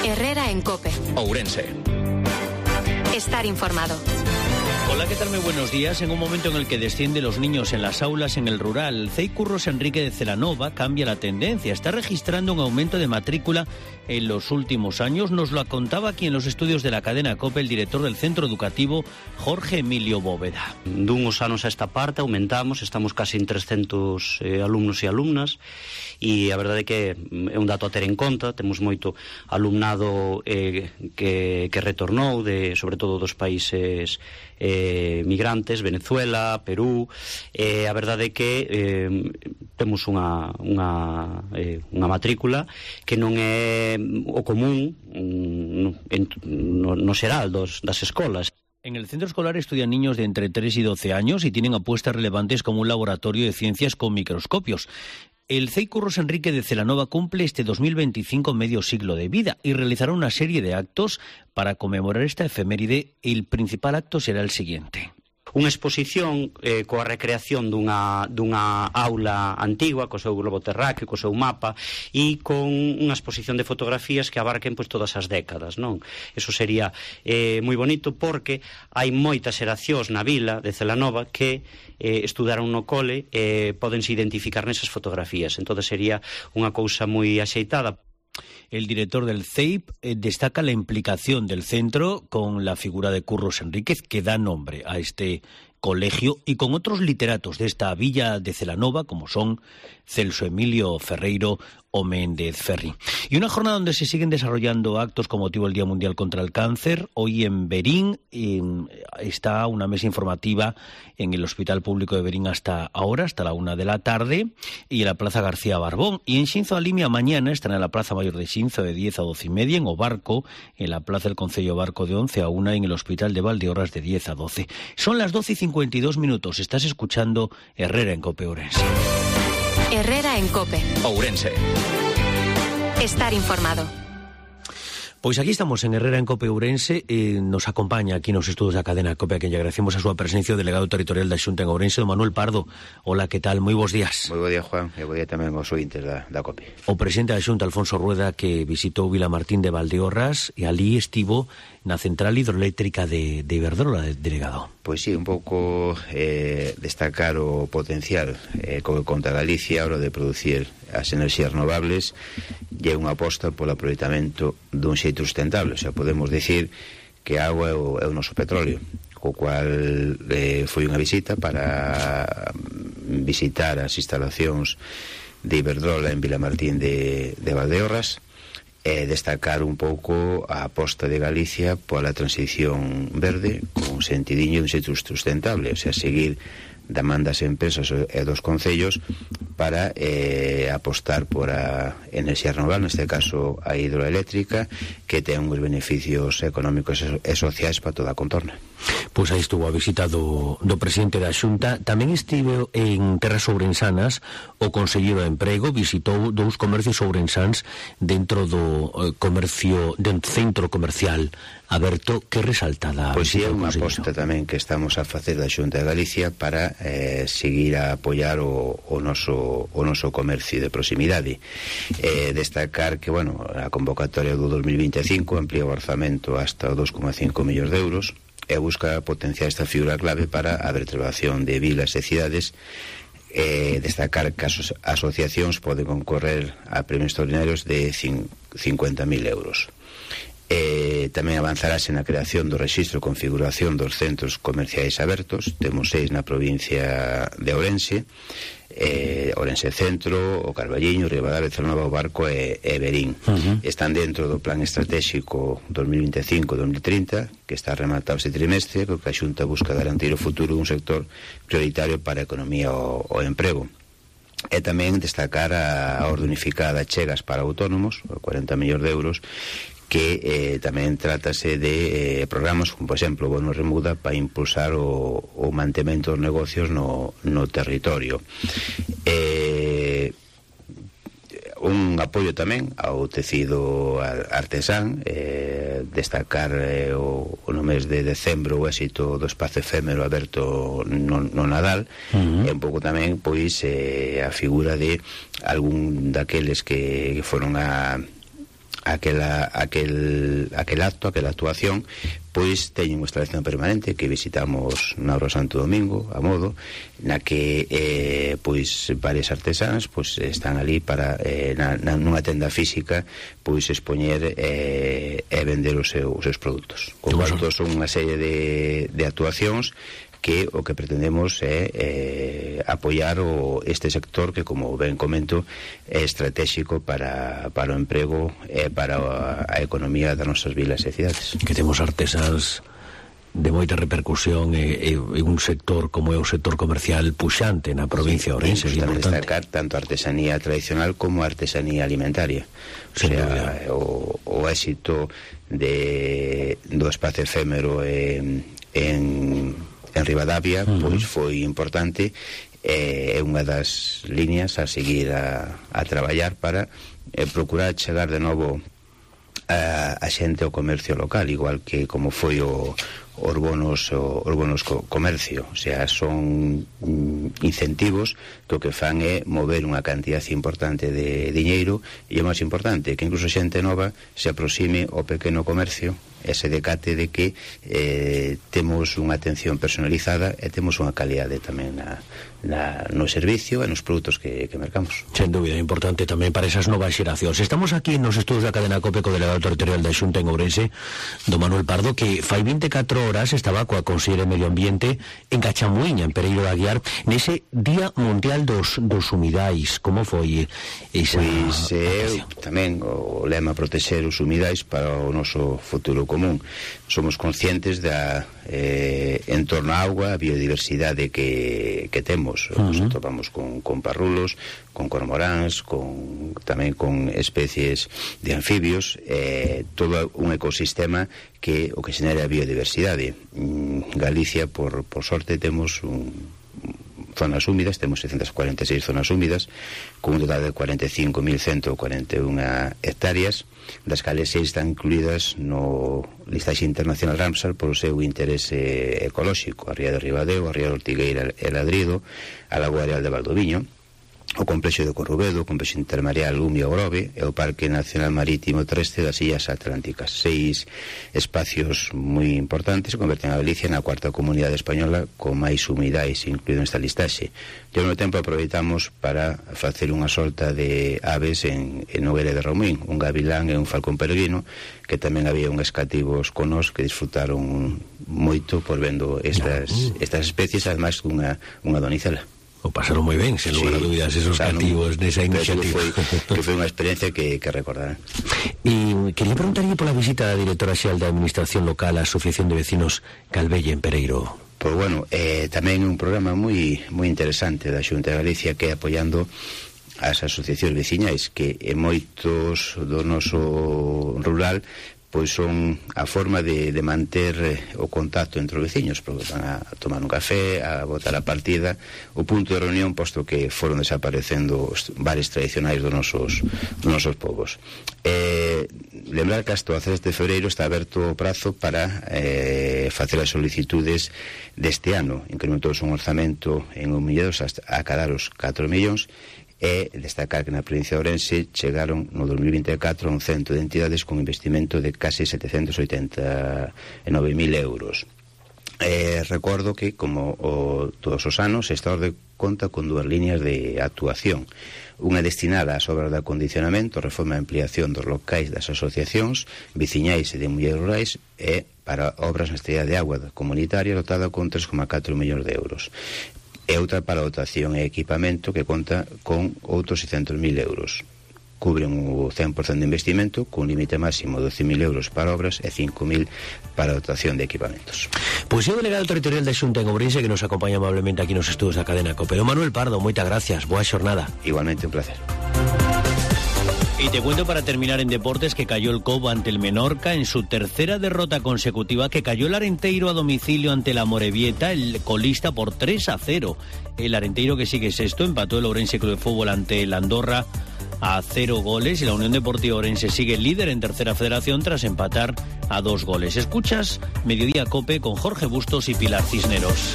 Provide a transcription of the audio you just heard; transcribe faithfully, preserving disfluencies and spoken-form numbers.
Herrera en COPE. Ourense. Estar informado. Hola, ¿qué tal? Muy buenos días. En un momento en el que descienden los niños en las aulas en el rural, C E I Curros Enrique de Celanova cambia la tendencia. Está registrando un aumento de matrícula en los últimos años. Nos lo contaba aquí en los estudios de la cadena COPE el director del centro educativo, Jorge Emilio Bóveda. Dunhos anos a esta parte aumentamos, estamos casi en trescentos eh, alumnos e alumnas, e a verdade é que é un dato a ter en conta. Temos moito alumnado eh, que, que retornou, de, sobre todo dos países eh, migrantes, Venezuela, Perú. Eh, a verdade é que eh, temos unha, unha, eh, unha matrícula que non é o común no, no, no xeral dos, das escolas. En el centro escolar estudian niños de entre tres y doce años y tienen apuestas relevantes como un laboratorio de ciencias con microscopios. El C E I Curros Enrique de Celanova cumple este dos mil veinticinco medio siglo de vida y realizará una serie de actos para conmemorar esta efeméride. El principal acto será el siguiente. Unha exposición eh, coa recreación dunha, dunha aula antigua, co seu globo terráqueo, co seu mapa, e con unha exposición de fotografías que abarquen pois, todas as décadas, non? Eso sería eh, moi bonito, porque hai moitas xeracións na vila de Celanova que eh, estudaron no cole e eh, podense identificar nesas fotografías. Entón sería unha cousa moi axeitada. El director del C E I P eh, destaca la implicación del centro con la figura de Curros Enríquez, que da nombre a este colegio, y con otros literatos de esta villa de Celanova, como son Celso Emilio Ferreiro o Méndez Ferri. Y una jornada donde se siguen desarrollando actos con motivo del Día Mundial contra el Cáncer. Hoy en Berín en, está una mesa informativa en el Hospital Público de Berín hasta ahora, hasta la una de la tarde, y en la Plaza García Barbón. Y en Xinzo Alimia mañana estará en la Plaza Mayor de Xinzo de diez a doce y media, en Obarco, en la Plaza del Concello Barco de once a una, y en el Hospital de Valdeorras de diez a doce. Son las doce y cincuenta y dos minutos. Estás escuchando Herrera en COPE Ourense. Herrera en COPE. Ourense. Estar informado. Pois aquí estamos en Herrera en COPE Ourense. eh, Nos acompaña aquí nos estudos da cadena COPE, a quen lle agradecemos a súa presencia, o delegado territorial da Xunta en Ourense, don Manuel Pardo. Hola, que tal? Moi bons días. Moi bo día, Juan, e bo día tamén aos ointes da, da COPE. O presidente da Xunta, Alfonso Rueda, que visitou Vilamartín de Valdeorras, e ali estivo na central hidroeléctrica de, de Iberdrola, delegado. Pois sí, un pouco eh, destacar o potencial eh, co que conta Galicia a hora de producir as enerxías renovables, e é unha aposta polo aproveitamento dun xeito sustentable. O sea, podemos dicir que a agua é o, é o noso petróleo, co cual eh, foi unha visita para visitar as instalacións de Iberdrola en Vilamartín de, de Valdeorras, e destacar un pouco a aposta de Galicia pola transición verde con sentidiño de un xeito sustentable, o sea, seguir da man das empresas e dos concellos para eh, apostar por a enerxía renovable, neste caso a hidroeléctrica, que ten uns beneficios económicos e sociais para toda a contorna. Pois aí estuvo a visita do, do presidente da Xunta. Tamén estive en terras ourensanas o conselleiro de Emprego, visitou dous comercios ourensáns dentro do eh, comercio, do centro comercial aberto. Que resaltada? Pois sí, é unha aposta tamén que estamos a facer da Xunta de Galicia para eh, seguir a apoiar o, o, noso, o noso comercio de proximidade. Eh, destacar que, bueno, a convocatoria do dos mil vinte e cinco amplía o orzamento hasta dos coma cinco millóns de euros e busca potenciar esta figura clave para a vertebración de vilas e cidades. Eh, destacar que as asociacións poden concorrer a premios extraordinarios de cincuenta mil euros. Eh, tamén avanzarase na creación do rexistro e configuración dos centros comerciais abertos. Temos seis na provincia de Ourense, eh, Ourense Centro, o Carballiño, Ribadavia, Celanova, o Barco e, e Berín. Uh-huh. Están dentro do plan estratégico dos mil vinte e cinco a dos mil trinta, que está rematado este trimestre, que a Xunta busca garantir o futuro dun sector prioritario para a economía e o emprego. E tamén destacar a orde unificada Chegas para autónomos, cuarenta millóns de euros, que eh, tamén trátase de eh, programas como, por exemplo, o bono remuda para impulsar o, o mantemento dos negocios no, no territorio. Eh, un apoio tamén ao tecido artesán, eh, destacar eh, o, o no mes de decembro o éxito do espazo efémero aberto no, no Nadal. Uh-huh. E un pouco tamén pois eh, a figura de algún daqueles que foron a aquela, aquel, aquel acto, aquela actuación, pois teñen unha instalación permanente que visitamos na Obra Santo Domingo, a modo, na que eh, pois varias artesanas pois están ali para eh, na, na, nunha tenda física pois expoñer eh, e vender os seus, os seus produtos. Con tanto, son unha serie de, de actuacións que o que pretendemos é eh, apoiar o, este sector que, como ben comento, é estratégico para, para o emprego e para a, a economía das nosas vilas e cidades. Que temos artesans de moita repercusión e, e un sector como é o sector comercial puxante na provincia de Ourense. Sí, tamén destacar tanto artesanía tradicional como artesanía alimentaria. O sea, o, o éxito de, do espacio efémero en, en en Ribadavia, uh-huh. pois foi importante, é eh, unha das líneas a seguir a, a traballar para eh, procurar chegar de novo a, a xente ao comercio local, igual que como foi o os bonos, os bonos co, comercio. O sea, son mm, incentivos que o que fan é mover unha cantidad importante de diñeiro, e o máis importante que incluso xente nova se aproxime ao pequeno comercio, ese decate de que eh, temos unha atención personalizada e temos unha calidade tamén na, na, no servicio e nos produtos que, que mercamos. Sen dúbida, importante tamén para esas novas xeracións. Estamos aquí nos estudos da cadena COPE co delegado territorial da Xunta en Ourense, do Manuel Pardo, que fai vinte e catro horas estaba coa Conselleira de Medio Ambiente en Cachamuíña, en Pereiro de Aguiar, nese Día Mundial dos, dos Humidais. Como foi esa Pois é, tamén o lema protexer os humidais para o noso futuro común. Somos conscientes da eh, en torno á auga, a biodiversidade que, que temos. Uh-huh. Nos topamos con, con parrulos, con cormoráns, con, tamén con especies de anfibios, eh, todo un ecosistema que o que xenera a biodiversidade. Galicia, por, por sorte, temos un zonas húmidas, temos seiscentas cuarenta e seis zonas húmidas, con un total de cuarenta e cinco mil ciento cuarenta e unha hectáreas, das cales seis están incluídas no listaxe internacional Ramsar por o seu interese ecolóxico: a Ría de Ribadeo, a Ría de Ortigueira e Ladrido, a Lagoa Areal de Valdoviño, o Complexo de Corrubedo, o Complexo Intermareal Umia Grove e o Parque Nacional Marítimo Terrestre das Illas Atlánticas. Seis espacios moi importantes que converten a Galicia na cuarta comunidade española con máis humidais incluído nesta listaxe. E ao mesmo tempo aproveitamos para facer unha solta de aves en, en Nogueira de Romín, un gavilán e un falcón peregrino, que tamén había unhas cativos conos que disfrutaron moito por vendo estas, estas especies, además unha, unha donicela. O pasaron moi ben, sen lugar a dúbidas, esos o sea, cativos nesa no, iniciativa. Que foi, que foi unha experiencia que, que recordarán. E quería preguntarlle pola visita da directora xeral da Administración Local á Asociación de Vecinos Calvelle en Pereiro. Pois bueno, eh, tamén un programa moi moi interesante da Xunta de Galicia, que é apoiando as asociacións veciñais, que en moitos do noso rural pois son a forma de, de manter o contacto entre os veciños, porque van a tomar un café, a botar a partida, o punto de reunión, posto que foron desaparecendo os bares tradicionais dos nosos, dos nosos povos. Eh, lembrar que hasta o dezasete de febreiro está aberto o prazo para eh, facer as solicitudes deste ano. Incrementouse un orzamento en un millón hasta a cadar os catro millóns, e destacar que na provincia de Ourense chegaron no dos mil vinte e catro a un cento de entidades con investimento de case setecentos oitenta e nove mil euros. Eh, recordo que, como o, todos os anos, esta orde conta con dúas líneas de actuación. Unha destinada ás obras de acondicionamento, reforma e ampliación dos locais das asociacións veciñais e de mulleres rurais, e para obras na estrella de agua comunitaria dotada con tres coma catro millóns de euros. E outra para dotación e equipamento, que conta con outros seiscentos mil euros. Cubren o cen por cento de investimento, con límite máximo de doce mil euros para obras e cinco mil para dotación de equipamentos. Pois é o delegado territorial da Xunta en Ourense que nos acompaña amablemente aquí nos estudos da cadena COPE. Manuel Pardo, moitas gracias, boa xornada. Igualmente, un placer. Y te cuento para terminar en deportes que cayó el Cobo ante el Menorca en su tercera derrota consecutiva, que cayó el Arenteiro a domicilio ante la Morevieta, el colista, por tres a cero. El Arenteiro, que sigue sexto, empató el Ourense Club de Fútbol ante el Andorra a cero goles, y la Unión Deportiva Ourense sigue líder en tercera federación tras empatar a dos goles. Escuchas Mediodía Cope con Jorge Bustos y Pilar Cisneros.